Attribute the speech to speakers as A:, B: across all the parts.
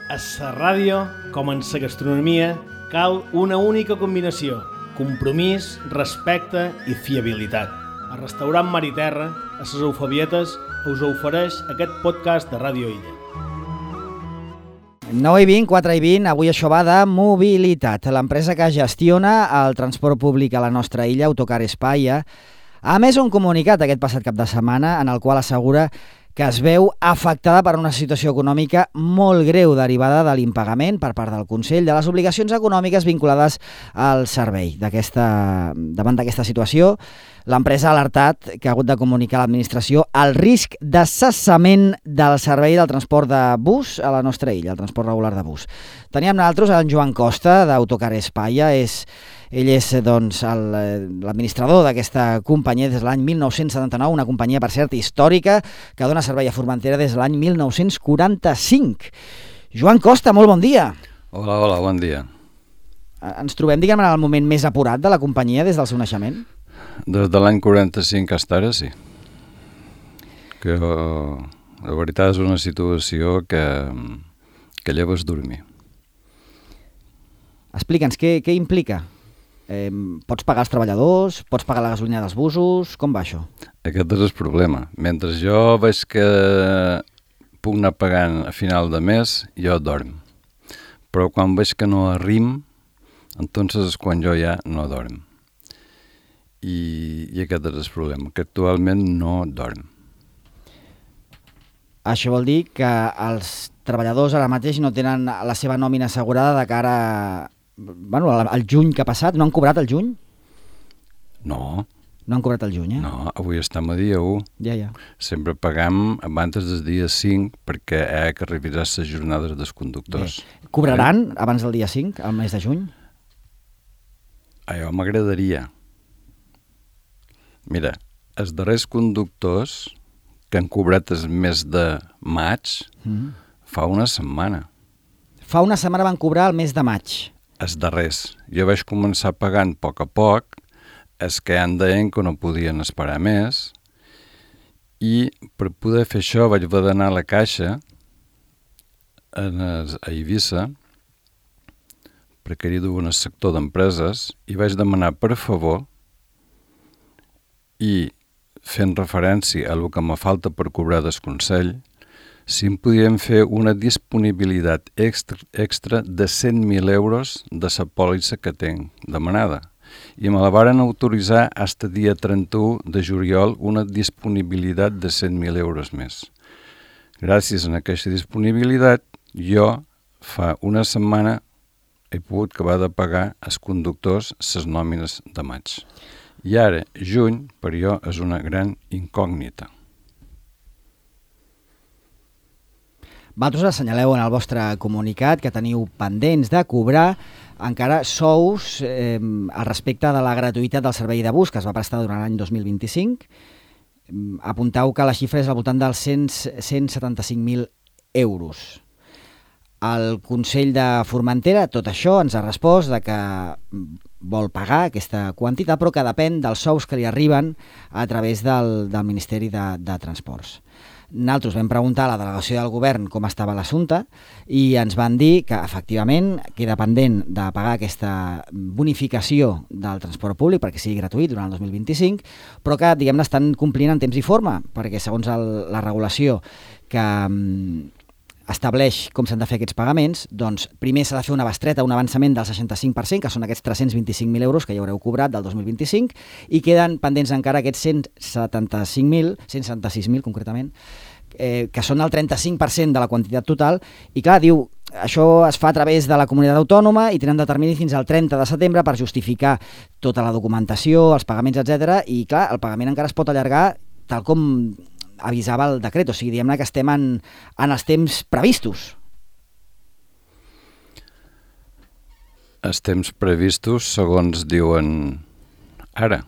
A: A la ràdio, com en la gastronomia, cal una única combinació: compromís, respecte i fiabilitat. El restaurant Mar i Terra, a les Eufebietes, us ofereix aquest podcast de Ràdio Illa.
B: 9:20, 4:20, avui això va de mobilitat. L'empresa que gestiona el transport públic a la nostra illa, Autocar Espaia, ha emès un comunicat aquest passat cap de setmana en el qual assegura que es veu afectada per una situació econòmica molt greu derivada de l'impagament per part del Consell de les obligacions econòmiques vinculades al servei. Davant d'aquesta situació, l'empresa ha alertat que ha hagut de comunicar a l'administració el risc de cessament del servei del transport de bus a la nostra illa, el transport regular de bus. Teníem nosaltres en Joan Costa, d'Autocar Espaia. Ell és l'administrador d'aquesta companyia des de l'any 1979, una companyia, per cert, històrica, que dona servei a Formentera des de l'any 1945. Joan Costa, molt bon dia.
C: Hola, bon dia.
B: Ens trobem, diguem, en el moment més apurat de la companyia des del seu naixement?
C: Des de l'any 45 fins ara, sí. Que la veritat és una situació que lleves dormir.
B: Explica'ns, què implica? Pots pagar els treballadors? Pots pagar la gasolina dels busos? Com va això?
C: Aquest és el problema. Mentre jo veig que puc anar pagant a final de mes, jo dorm. Però quan veig que no arrim, entonces és quan jo ja no dorm. I aquest és el problema, que actualment no dorm.
B: Això vol dir que els treballadors ara mateix no tenen la seva nòmina assegurada de cara al juny que ha passat. No han cobrat el juny?
C: No.
B: No han cobrat el juny, eh?
C: No, avui estem a dia 1.
B: Ja.
C: Sempre pagam abans del dia 5 perquè hi ha que revisar les jornades dels conductors.
B: Bé. Cobraran abans del dia 5, al mes de juny?
C: Jo m'agradaria. Mira, els darrers conductors que han cobrat el mes de maig fa una setmana.
B: Fa una setmana van cobrar el mes de maig.
C: Els darrers. Jo vaig començar pagant a poc, els que han deien que no podien esperar més, i per poder fer això vaig haver d'anar a la caixa a Eivissa, perquè hi duia un sector d'empreses, i vaig demanar per favor, i fent referència a el que me falta per cobrar del Consell, si em podien fer una disponibilitat extra de 100.000 euros de la pòlissa que tinc demanada. I me la varen autoritzar fins al dia 31 de juliol una disponibilitat de 100.000 euros més. Gràcies a aquesta disponibilitat, jo fa una setmana he pogut acabar de pagar als conductors les nòmines de maig. I ara, juny, per jo, és una gran incògnita.
B: Vosaltres assenyaleu en el vostre comunicat que teniu pendents de cobrar encara sous al respecte de la gratuïtat del servei de bus que es va prestar durant l'any 2025. Apuntau que la xifra és al voltant dels 175.000 euros. El Consell de Formentera, tot això, ens ha respost de que vol pagar aquesta quantitat, però que depèn dels sous que li arriben a través del Ministeri de Transports. Nosaltres vam preguntar a la delegació del govern com estava l'assumpte i ens van dir que efectivament queda pendent de pagar aquesta bonificació del transport públic perquè sigui gratuït durant el 2025, però que, diguem-ne, estan complint en temps i forma, perquè segons la regulació que estableix com s'han de fer aquests pagaments, doncs primer s'ha de fer una bestreta, un avançament del 65%, que són aquests 325.000 euros que ja haureu cobrat del 2025, i queden pendents encara aquests 176.000 concretament, que són el 35% de la quantitat total, i clar, diu, això es fa a través de la comunitat autònoma i tenen de termini fins al 30 de setembre per justificar tota la documentació, els pagaments, etc. I clar, el pagament encara es pot allargar tal com avisava el decret, o sigui, diguem-ne que estem en els temps previstos.
C: Els temps previstos, segons diuen ara.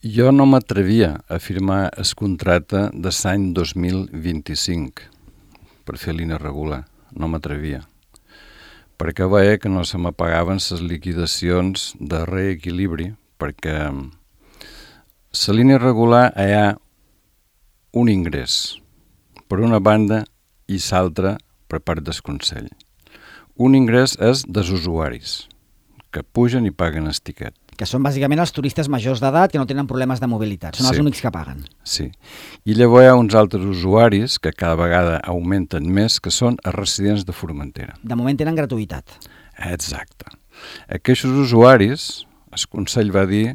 C: Jo no m'atrevia a firmar el contracte de l'any 2025 per fer línia regular. No m'atrevia. Perquè veia que no se m'apagaven les liquidacions de reequilibri, perquè la línia regular hi ha un ingrés per una banda i l'altra per part del Consell. Un ingrés és dels usuaris, que pugen i paguen el tiquet.
B: Que són bàsicament els turistes majors d'edat que no tenen problemes de mobilitat. Són els únics que paguen.
C: Sí. I llavors hi ha uns altres usuaris que cada vegada augmenten més, que són els residents de Formentera.
B: De moment tenen gratuïtat.
C: Exacte. Aquests usuaris, el Consell va dir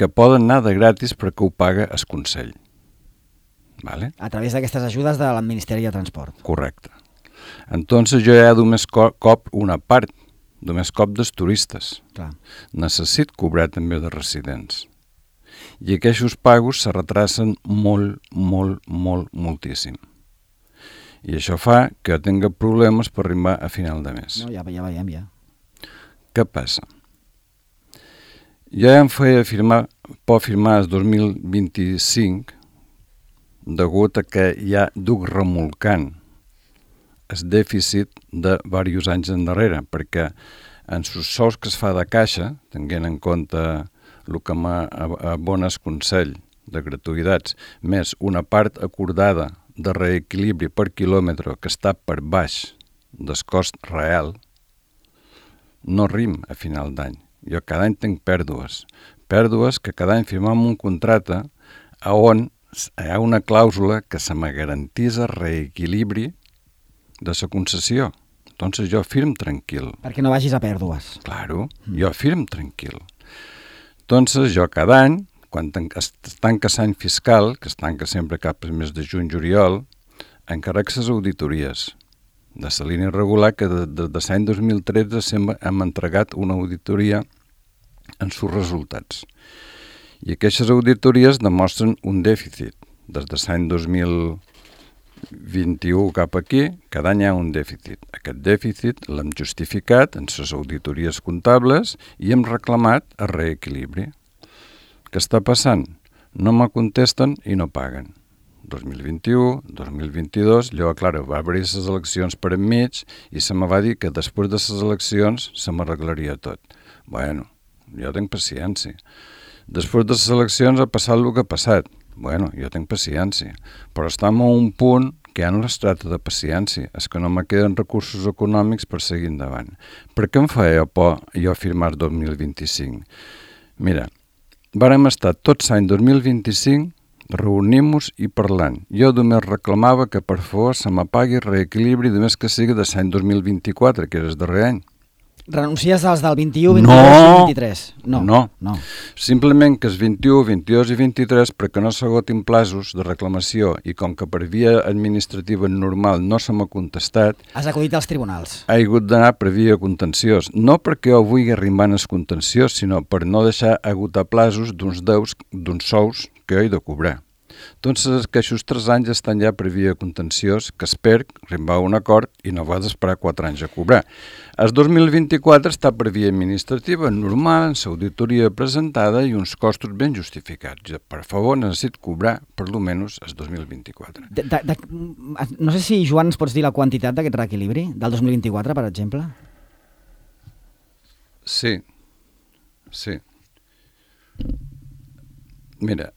C: que poden anar de gratis perquè ho paga el Consell. Vale?
B: A través d'aquestes ajudes del Ministeri de Transport.
C: Correcte. Entonces jo ja només cop una part, només cop dels turistes.
B: Clar.
C: Necessito cobrar també de residents. I aquests pagos se retracen moltíssim. I això fa que tinga problemes per arribar a final de mes.
B: No, ja veiem, ja.
C: Què passa? Jo ja em feia por firmar el 2025 degut a que ja duc remolcant el dèficit de diversos anys endarrere, perquè en els sous que es fa de caixa, tenint en compte el que m'abona el Consell de gratuïtats, més una part acordada de reequilibri per quilòmetre que està per baix del cost real, no rim a final d'any. Jo cada any tinc pèrdues que cada any firmem un contracte on hi ha una clàusula que se me garantís el reequilibri de la concessió. Entonces jo firm tranquil.
B: Perquè no vagis a pèrdues.
C: Claro, jo firm tranquil. Entonces jo cada any, quan es tanca l'any fiscal, que es tanca sempre cap al mes de juny-juliol, encarrec les auditories de la línia regular, que de l'any 2013 hem entregat una auditoria en els resultats. I aquestes auditories demostren un dèficit. Des de l'any 2021 cap aquí, cada any hi ha un dèficit. Aquest dèficit l'hem justificat en les auditories comptables i hem reclamat el reequilibri. Què està passant? No me contesten i no paguen. 2021, 2022, llavors, clar, va haver les eleccions per enmig i se me va dir que després de les eleccions se m'arreglaria tot. Bueno, jo tinc paciència. Després de les eleccions ha passat el que ha passat. Bueno, jo tinc paciència. Però estem a un punt que ja no es tracta de paciència, és que no me queden recursos econòmics per seguir endavant. Per què em feia por jo firmar 2025? Mira, vàrem estar tots l'any 2025 reunint-nos i parlant. Jo només reclamava que per favor se m'apagui el reequilibri només que sigui de l'any 2024, que era el darrer any.
B: Renuncies als del 21, 22 i 23?
C: No. Simplement que els 21, 22 i 23, perquè no s'agotin plazos de reclamació i com que per via administrativa normal no se m'ha contestat...
B: Has acudit als tribunals.
C: Ha hagut d'anar per via contenciós. No perquè jo vulgui arribar al contenciós, sinó per no deixar agotar plazos d'uns sous que jo he de cobrar. Entonces, aquests 3 anys estan ja per via contenciós, que espero arribar a un acord i no va d'esperar 4 anys a cobrar. El 2024 està per via administrativa, normal, amb l'auditoria presentada i uns costos ben justificats. Per favor, necessito cobrar per lo menys el 2024.
B: No sé si, Joan, ens pots dir la quantitat d'aquest reequilibri, del 2024, per exemple?
C: Sí. Mira,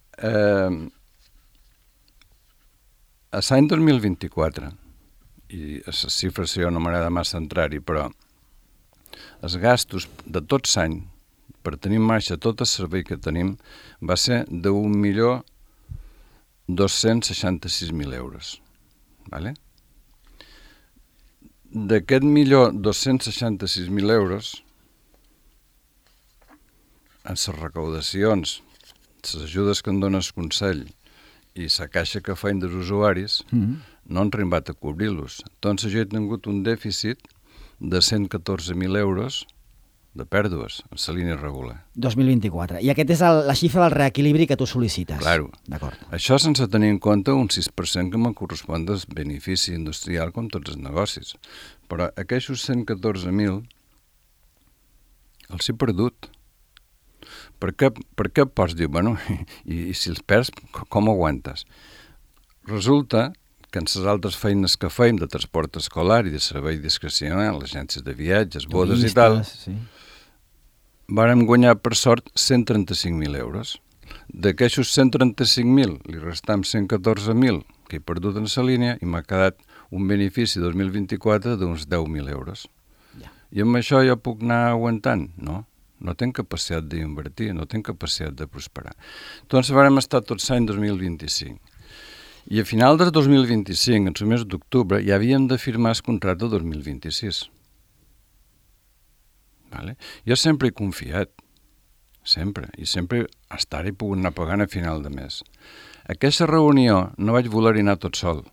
C: a l'any 2024, i a les xifres jo no m'agrada massa entrar-hi, però els gastos de tot l'any per tenir en marxa tot el servei que tenim va ser de 1.266.000 euros. Vale? D'aquest 1.266.000 euros, en les recaudacions, les ajudes que em dona el Consell i la caixa que feien dels usuaris, no han arribat a cobrir-los. Entonces jo he tingut un dèficit de 114.000 euros de pèrdues en la línia regular.
B: 2024. I aquest és la xifra del reequilibri que tu sol·licites.
C: Claro.
B: D'acord.
C: Això sense tenir en compte un 6% que me correspon del benefici industrial com tots els negocis. Però aquests 114.000 els he perdut. Per què pots dir, bueno, i si els perds, com aguantes? Resulta que en les altres feines que feim de transport escolar i de servei discrecional, agències de viatges, bodes i tal, vàrem guanyar per sort 135.000 euros. D'aquestos 135.000 li restam 114.000 que he perdut en la línia i m'ha quedat un benefici 2024 d'uns 10.000 euros.
B: Ja.
C: I amb això jo puc anar aguantant? No. No tinc capacitat d'invertir, no tinc capacitat de prosperar. Doncs vam estar tots l'any 2025. I a final del 2025, en el mes d'octubre, ja havíem de firmar el contracte del 2026. Vale? Jo sempre he confiat, sempre, i sempre hasta ara he pogut anar pagant a final de mes. Aquesta reunió no vaig voler-hi anar tot sol.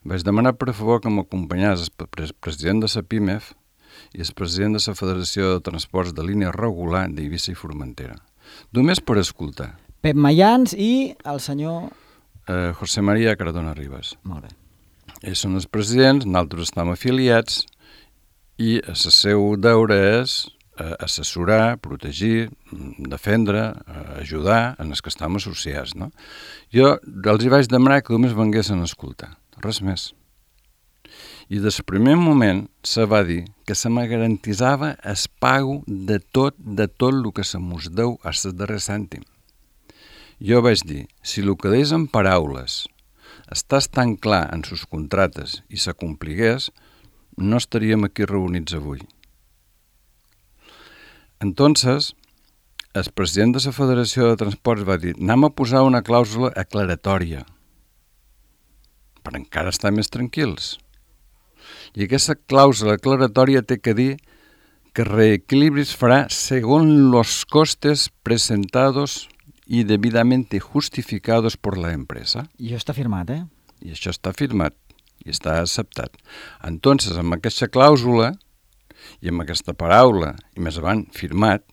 C: Vaig demanar per favor que m'acompanyés el president de la PIMEF i el president de la Federació de Transports de Línia Regular d'Eivissa i Formentera. Només per escoltar.
B: Pep Mayans i el senyor...
C: José María Cardona Ribas.
B: Molt bé.
C: Ells són els presidents, nosaltres estem afiliats i el seu deure és assessorar, protegir, defendre, ajudar en els que estem associats. No? Jo els hi vaig demanar que només venguessin a escoltar, res més. I des del primer moment se va dir que se me garantitzava el pago de tot el que se mos deu a el darrer cèntim. Jo vaig dir, si el que deis en paraules estàs tan clar en sus contractes i s'acompligués, no estaríem aquí reunits avui. Entonces, el president de la Federació de Transports va dir, anem a posar una clàusula aclaratòria per encara estar més tranquils. I aquesta clàusula aclaratòria té que dir que reequilibris farà segons los costes presentados y debidamente justificados por la empresa.
B: I això està firmat,
C: I això està firmat i està acceptat. Entonces, amb aquesta clàusula i amb aquesta paraula, i més avant firmat,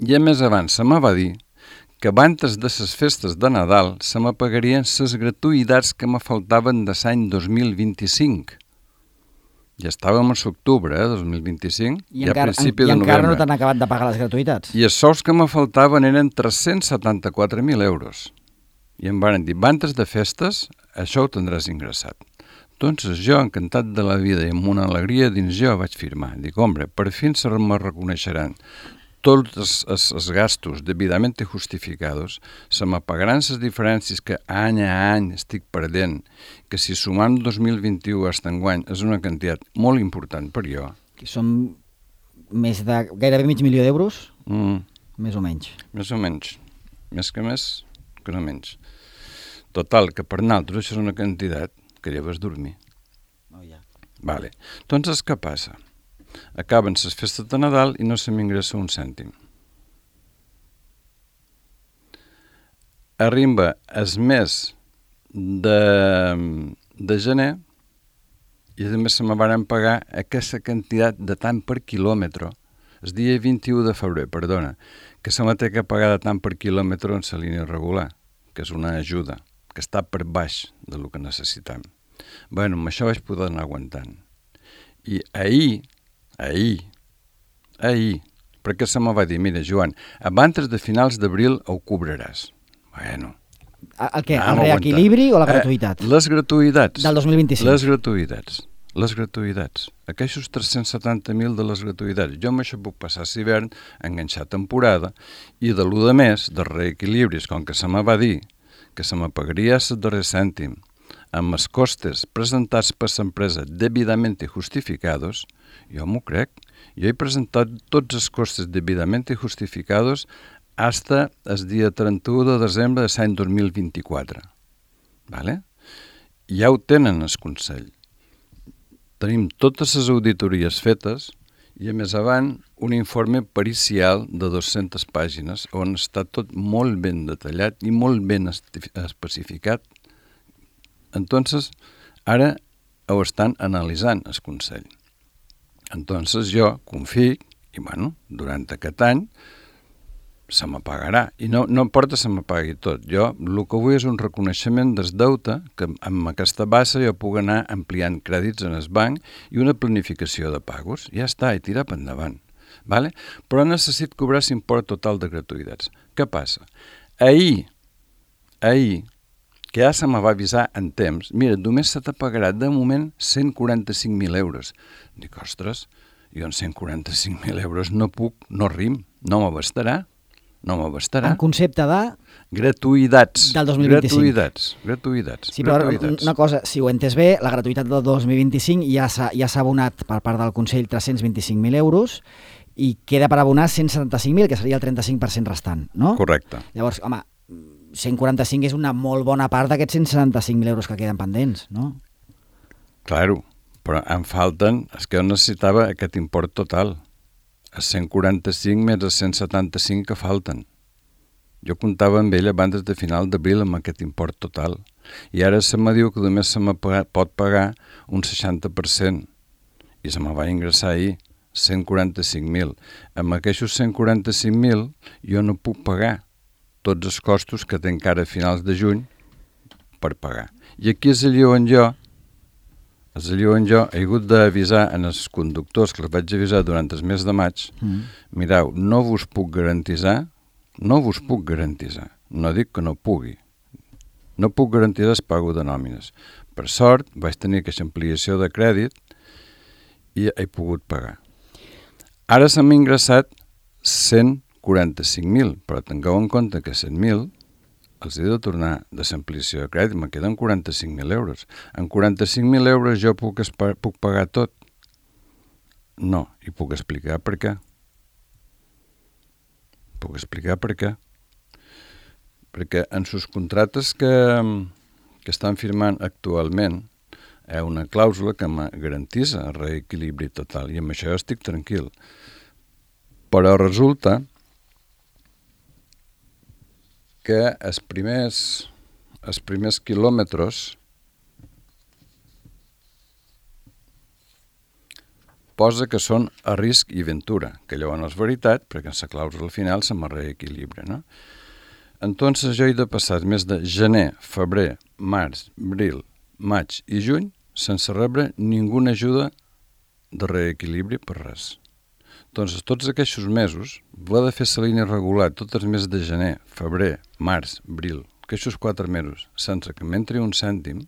C: i a més avant se me va dir que abans de les festes de Nadal se me pagarien les gratuïtats que me faltaven de l'any 2025. Ja estàvem a l'octubre, 2025,
B: I
C: a principi de novembre.
B: I encara no t'han acabat de pagar les gratuïtats.
C: I els sous que me faltaven eren 374.000 euros. I em van dir, abans de festes, això ho tindràs ingressat. Doncs jo, encantat de la vida i amb una alegria dins jo, vaig firmar. Dic, hombre, per fi se me reconeixeran tots els gastos debidament justificados, se me pagaran les diferències que any a any estic perdent, que si sumant 2021 a enguany és una quantitat molt important per jo.
B: Que són més de gairebé $500.000 d'euros? Més o menys.
C: Més o menys. Més que no menys. Total, que per nosaltres això és una quantitat que ja vas dormir.
B: Oh, ja.
C: Vale. Doncs què passa? Acaben les festes de Nadal i no se m'ingressa un cèntim. Arriba el mes de gener i a més se me van pagar aquesta quantitat de tant per quilòmetre, el dia 21 de febrer, perdona, que se me té que pagar de tant per quilòmetre en la línia regular, que és una ajuda, que està per baix del que necessitem. Bueno, amb això vaig poder anar aguantant. I ahir, perquè se me va dir, mira, Joan, abans de finals d'abril ho cobraràs. Bueno.
B: El què? El reequilibri o la gratuïtat?
C: Les gratuïtats.
B: Del 2025.
C: Les gratuïtats. Aquests 370.000 de les gratuïtats. Jo amb això puc passar l'hivern, enganxar temporada, i de l'1 de mes, de reequilibris, com que se me va dir que se me pagaria el darrer cèntim, amb els costes presentats per l'empresa debidament justificados, jo m'ho crec. Jo he presentat tots els costes debidament justificados hasta el dia 31 de desembre de l'any 2024. Vale? Ja ho tenen el Consell. Tenim totes les auditories fetes i a més avant un informe pericial de 200 pàgines on està tot molt ben detallat i molt ben especificat. Entonces, ara ho estan analitzant el Consell. Entonces jo confio i, bueno, durant aquest any se me pagarà. I no importa se me pagui tot. Jo el que vull és un reconeixement del deute que amb aquesta base jo puc anar ampliant crèdits en el banc i una planificació de pagos. Ja està, i tirar per endavant. Vale? Però necessito cobrar l'import total de gratuïtats. Què passa? Ahir, que ja se me va avisar en temps, mira, només se t'ha pagarà de moment 145.000 euros. Dic, ostres, jo en 145.000 euros no puc, no rim, no m'abastarà. No m'abastarà.
B: En concepte de...
C: Gratuïtats.
B: Del 2025.
C: Gratuïtats.
B: Sí, però una cosa, si ho he entès bé, la gratuïtat del 2025 ja s'ha abonat per part del Consell 325.000 euros i queda per abonar 175.000, que seria el 35% restant, no?
C: Correcte.
B: Llavors, home, 145 és una molt bona part d'aquests 175.000 euros que queden pendents, no?
C: Claro, però em falten, és que jo necessitava aquest import total, els 145 més els 175 que falten. Jo comptava amb ell abans de final d'abril amb aquest import total. I ara se me diu que només se me pot pagar un 60%. I se me va ingressar ahir 145.000. Amb aquests 145.000 jo no puc pagar tots els costos que tinc encara a finals de juny per pagar. I aquí és allò on jo he hagut d'avisar en els conductors, que els vaig avisar durant el mes de maig, mireu, no vos puc garantitzar, no dic que no pugui, no puc garantir el pago de nòmines. Per sort, vaig tenir aquesta ampliació de crèdit i he pogut pagar. Ara se m'ha ingressat 145.000, però tingueu en compte que 100.000 els he de tornar de l'ampliació de crèdit, me queden 45.000 euros. En 45.000 euros jo puc pagar tot? No, i puc explicar per què. Perquè en sus contractes que estan firmant actualment hi ha una clàusula que me garantís el reequilibri total i amb això jo estic tranquil. Però resulta que els primers quilòmetres posa que són a risc i ventura, que llavors no és veritat, perquè en la clàusula al final se me reequilibra, no? Entonces jo he de passar més de gener, febrer, març, abril, maig i juny sense rebre ninguna ajuda de reequilibri per res. Entonces, tots aquests mesos, va de fer la línia regular tots els mesos de gener, febrer, març, abril, aquests 4 mesos, sense que m'entri un cèntim,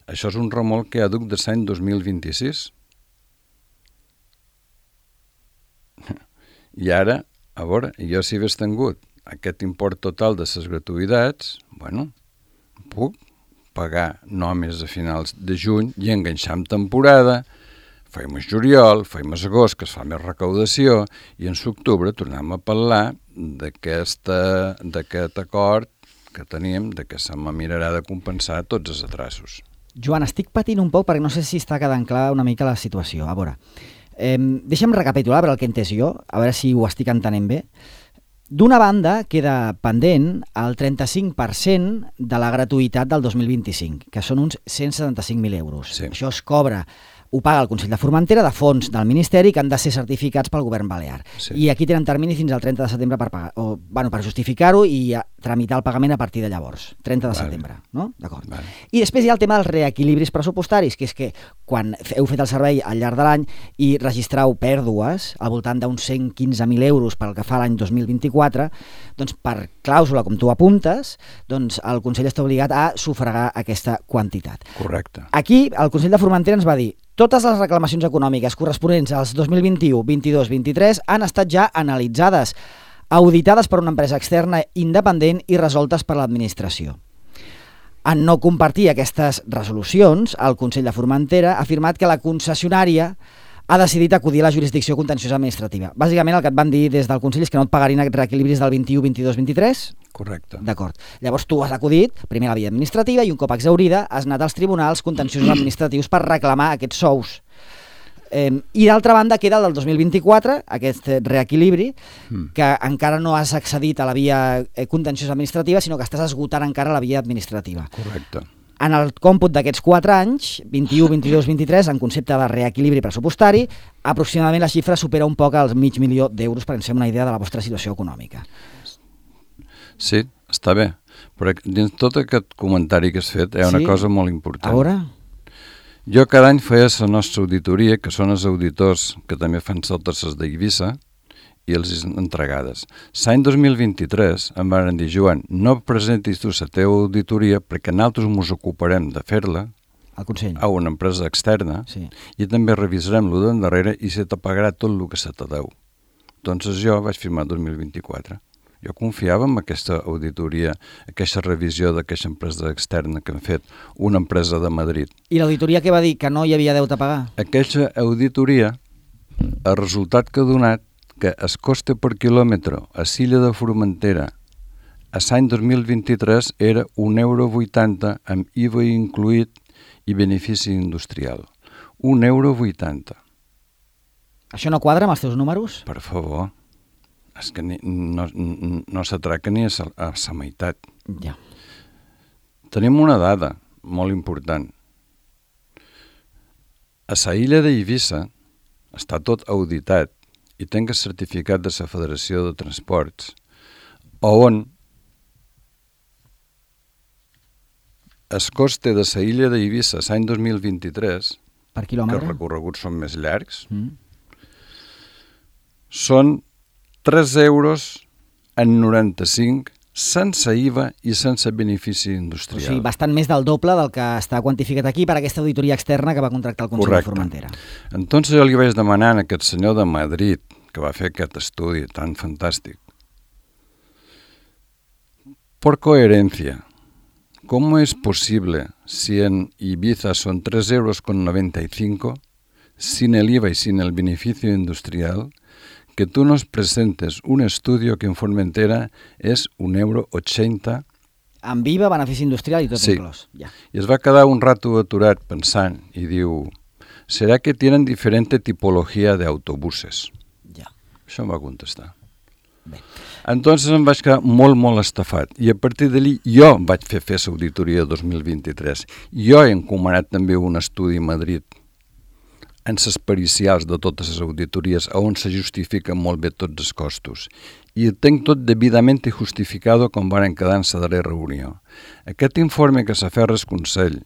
C: això és un remolc que ha duc de l'any 2026. I ara, a veure, jo si hagués tingut aquest import total de les gratuïtats, bueno, puc pagar només a finals de juny i enganxar en temporada, fem el juliol, fem el agost, que es fa més recaudació, i en l'octubre tornem a parlar d'aquest acord que teníem, de que se me mirarà de compensar tots els atrasos.
B: Joan, estic patint un poc perquè no sé si està quedant clar una mica la situació. A veure, deixa'm recapitular per el que he entès jo, a veure si ho estic entenent bé. D'una banda, queda pendent el 35% de la gratuïtat del 2025, que són uns 175.000 euros.
C: Sí.
B: Això es cobra, ho paga el Consell de Formentera de fons del Ministeri que han de ser certificats pel govern balear.
C: Sí.
B: I aquí tenen termini fins al 30 de setembre per pagar, per justificar-ho i tramitar el pagament a partir de llavors, 30 de setembre, no? D'acord.
C: Vale.
B: I després hi ha el tema dels reequilibris pressupostaris, que és que quan heu fet el servei al llarg de l'any i registrau pèrdues al voltant d'uns 115.000 euros pel que fa a l'any 2024, doncs per clàusula, com tu apuntes, doncs el Consell està obligat a sufragar aquesta quantitat.
C: Correcte.
B: Aquí el Consell de Formentera ens va dir totes les reclamacions econòmiques corresponents als 2021, 22, 23 han estat ja analitzades, auditades per una empresa externa independent i resoltes per l'administració. En no compartir aquestes resolucions, el Consell de Formentera ha afirmat que la concessionària ha decidit acudir a la jurisdicció contenciosa administrativa. Bàsicament el que et van dir des del Consell és que no et pagarien aquests reequilibris del 21, 22, 23?
C: Correcte.
B: D'acord. Llavors tu has acudit, primer a la via administrativa i un cop exhaurida has anat als tribunals contenciosos administratius per reclamar aquests sous. I d'altra banda queda el del 2024, aquest reequilibri, que encara no has accedit a la via contenciosa administrativa, sinó que estàs esgotant encara la via administrativa.
C: Correcte.
B: En el còmput d'aquests 4 anys, 21, 22, 23, en concepte de reequilibri pressupostari, aproximadament la xifra supera un poc els 500.000 d'euros per ens fer una idea de la vostra situació econòmica.
C: Sí, està bé, però dins tot aquest comentari que has fet hi ha una cosa molt important.
B: A veure?
C: Jo cada any feia la nostra auditoria, que són els auditors que també fan totes les d'Eivissa, i els entregades. L'any 2023 em van dir, Joan, no presentis tu la teva auditoria perquè nosaltres ens ocuparem de fer-la a una empresa externa i també revisarem lo d'endarrere i se te pagarà tot el que se te deu. Doncs jo vaig firmar 2024. Jo confiava en aquesta auditoria, aquesta revisió d'aquesta empresa externa que han fet una empresa de Madrid.
B: I l'auditoria què va dir? Que no hi havia deute a pagar?
C: Aquesta auditoria, el resultat que ha donat que el coste per quilòmetre a Silla de Formentera a l'any 2023 era €1,80 amb IVA incluït i benefici industrial. €1,80.
B: Això no quadra amb els teus números?
C: Per favor. És que no s'atraca ni a la meitat.
B: Ja.
C: Tenim una dada molt important. A la illa d'Eivissa està tot auditat i tinc el certificat de la Federació de Transports, on el coste de la illa d'Eivissa l'any 2023,
B: Per
C: que
B: quilòmetre?
C: els recorreguts són més llargs, són €3,95 sense IVA i sense benefici
B: O
C: industrial.
B: sigui, bastant més del doble del que està quantificat aquí per aquesta auditoria externa que va contractar el Consell de Formentera.
C: Entonces jo li vaig demanar a aquest senyor de Madrid que va fer aquest estudi tan fantàstic. Por coherencia, ¿cómo es posible si en Ibiza son €3,95 sin el IVA y sin el beneficio industrial, que tú nos presentes un estudio que en Formentera és €1,80?
B: Amb IVA, benefici industrial i tot
C: Sí.
B: inclòs. Ja.
C: I es va quedar un rato aturat pensant i diu, ¿será que tienen diferente tipología de autobuses?
B: Ja.
C: Això em va contestar.
B: Bé.
C: Entonces em vaig quedar molt estafat i a partir d'allí jo vaig fer l'auditoria 2023. Jo he encomanat també un estudi a Madrid en les pericials de totes les auditories on se justifiquen molt bé tots els costos. I ho tinc tot debidament justificado com van quedar en la darrera reunió. Aquest informe que s'ha fet al Consell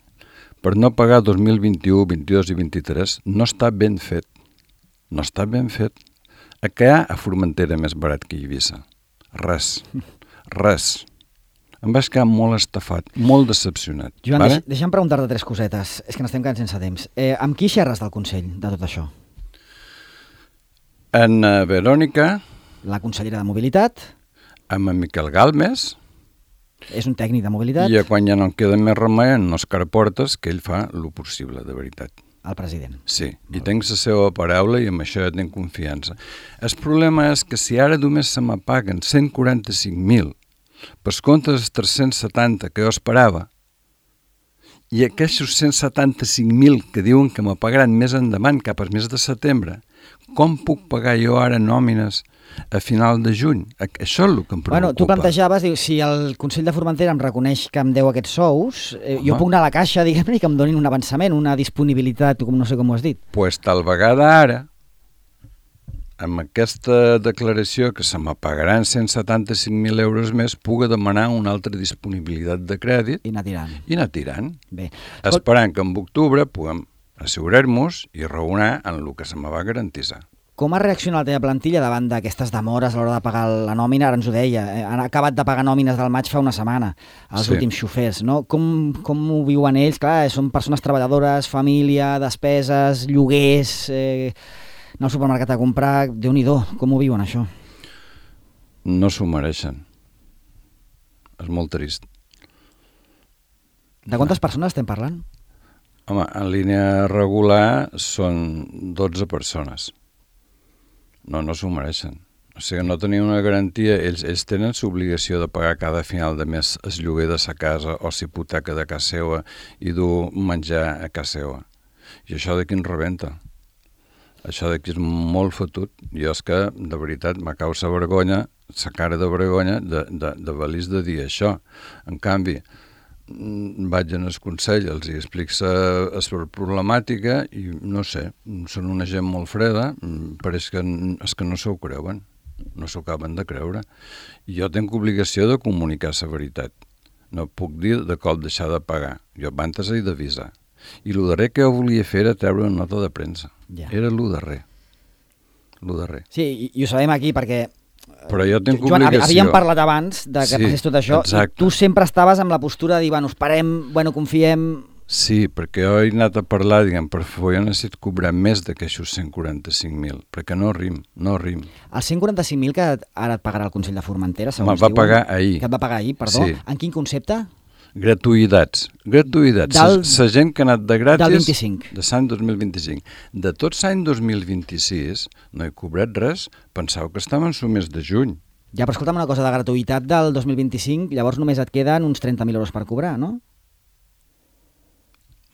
C: per no pagar 2021, 22 i 23 no està ben fet. No està ben fet. A què hi ha a Formentera més barat que Eivissa? Res. Em vaig quedar molt estafat, molt decepcionat.
B: Joan,
C: vale?
B: deixa'm preguntar-te 3 cosetes. És que n'estem quedant sense temps. Amb qui xerres del Consell de tot això?
C: En Verònica,
B: La consellera de Mobilitat,
C: amb en Miquel Galmes,
B: és un tècnic de mobilitat,
C: i quan ja no en queda més remei, en Òscar Portes, que ell fa el possible, de veritat.
B: el president.
C: Sí, i tinc la seva paraula i amb això ja tinc confiança. El problema és que si ara només se me paguen 145.000 per compte dels 370 que jo esperava, i aquests 175.000 que diuen que me pagaran més endavant, cap al mes de setembre, com puc pagar jo ara nòmines a final de juny? Això és el que em preocupa.
B: Bueno, tu plantejaves, dius, si el Consell de Formentera em reconeix que em deu aquests sous, jo puc anar a la caixa, diguem-ne, i que em donin un avançament, una disponibilitat, com no sé com ho has dit.
C: Pues tal vegada ara, amb aquesta declaració que se me pagaran 175.000 euros més, puga demanar una altra disponibilitat de crèdit
B: I anar tirant. Bé.
C: Esperant que en octubre puguem assegurar-nos i raonar en el que se me va garantir.
B: Com ha reaccionat la teva plantilla davant d'aquestes demores a l'hora de pagar la nòmina? Ara ens ho deia, han acabat de pagar nòmines del maig fa una setmana, els últims xofers, no? Com ho viuen ells? Clar, són persones treballadores, família, despeses, lloguers, anar al supermercat a comprar, Déu-n'hi-do, com ho viuen això?
C: No s'ho mereixen. És molt trist.
B: De quantes persones estem parlant?
C: Home, en línia regular són 12 persones. No s'ho mereixen. O sigui, no tenien una garantia. Ells tenen l'obligació de pagar cada final de mes el lloguer de sa casa o l'hipoteca de casa seva i dur menjar a casa seva. I això d'aquí ens rebenta. Això d'aquí és molt fotut. Jo és que, de veritat, me cau la vergonya, la cara de vergonya de valis de dir això. En canvi, vaig en el Consell, els hi explico la problemàtica i no sé, són una gent molt freda, pareix que és que no s'ho creuen, no s'ho acaben de creure. I jo tinc obligació de comunicar la veritat. No puc dir de cop deixar de pagar. Jo abans he d'avisar. I el darrer que jo volia fer era treure una nota de premsa.
B: Ja.
C: Era el darrer.
B: Sí, i ho sabem aquí perquè
C: però jo tinc
B: Joan,
C: obligació.
B: havíem parlat abans de que passés tot això,
C: exacte.
B: i tu sempre estaves amb la postura de dir, bueno, esperem, bueno, confiem,
C: Sí, perquè jo he anat a parlar, diguem, per favor, jo necessito cobrar més d'aquestos 145.000, perquè no rim.
B: Els 145.000 que ara et pagarà el Consell de Formentera, segons
C: va pagar ahir.
B: Que et va pagar ahir, perdó.
C: Sí.
B: En quin concepte?
C: Gratuïtats. La gent que ha anat de gratis...
B: Del 25.
C: De l'any 2025. De tot l'any 2026 no he cobrat res, pensava que estàvem al mes de juny.
B: Ja, però escolta'm una cosa, de gratuïtat del 2025, llavors només et queden uns 30.000 euros per cobrar, no?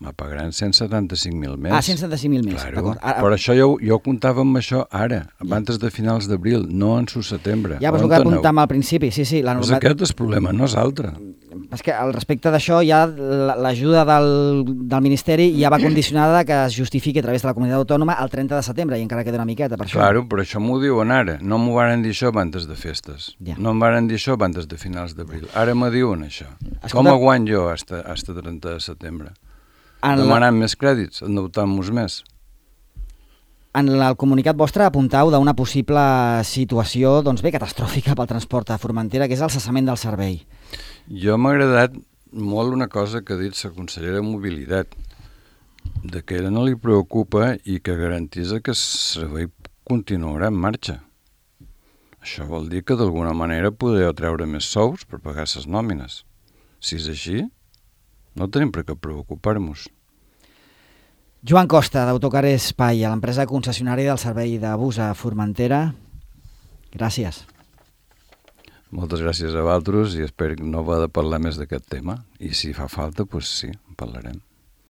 C: Me pagaran 175.000 més.
B: 175.000 més,
C: claro.
B: D'acord.
C: Per això jo comptava amb això ara, abans de finals d'abril, no en su setembre.
B: Ja, però és el que apuntàvem al principi, sí.
C: Doncs aquest és el problema, no és altre.
B: És que al respecte d'això ja l'ajuda del Ministeri ja va condicionada que es justifiqui a través de la comunitat autònoma el 30 de setembre i encara queda una miqueta per això.
C: Claro, però això m'ho diuen ara. No m'ho van dir això abans de festes. Ja. No em van dir això abans de finals d'abril. Ara me diuen això. Escolta, com aguant jo hasta 30 de setembre? Demanant més crèdits, endeutant-nos més.
B: En el comunicat vostre apuntau d'una possible situació catastròfica pel transport a Formentera, que és el cessament del servei.
C: Jo m'ha agradat molt una cosa que ha dit la consellera de Mobilitat, de que no li preocupa i que garantís que el servei continuarà en marxa. Això vol dir que d'alguna manera podeu treure més sous per pagar les nòmines. Si és així, no tenim per què preocupar-nos.
B: Joan Costa, d'Autocar Espai, a l'empresa concessionària del servei de bus a Formentera. Gràcies.
C: Moltes gràcies a vosaltres i espero no haver de parlar més d'aquest tema. I si fa falta, doncs sí, en parlarem.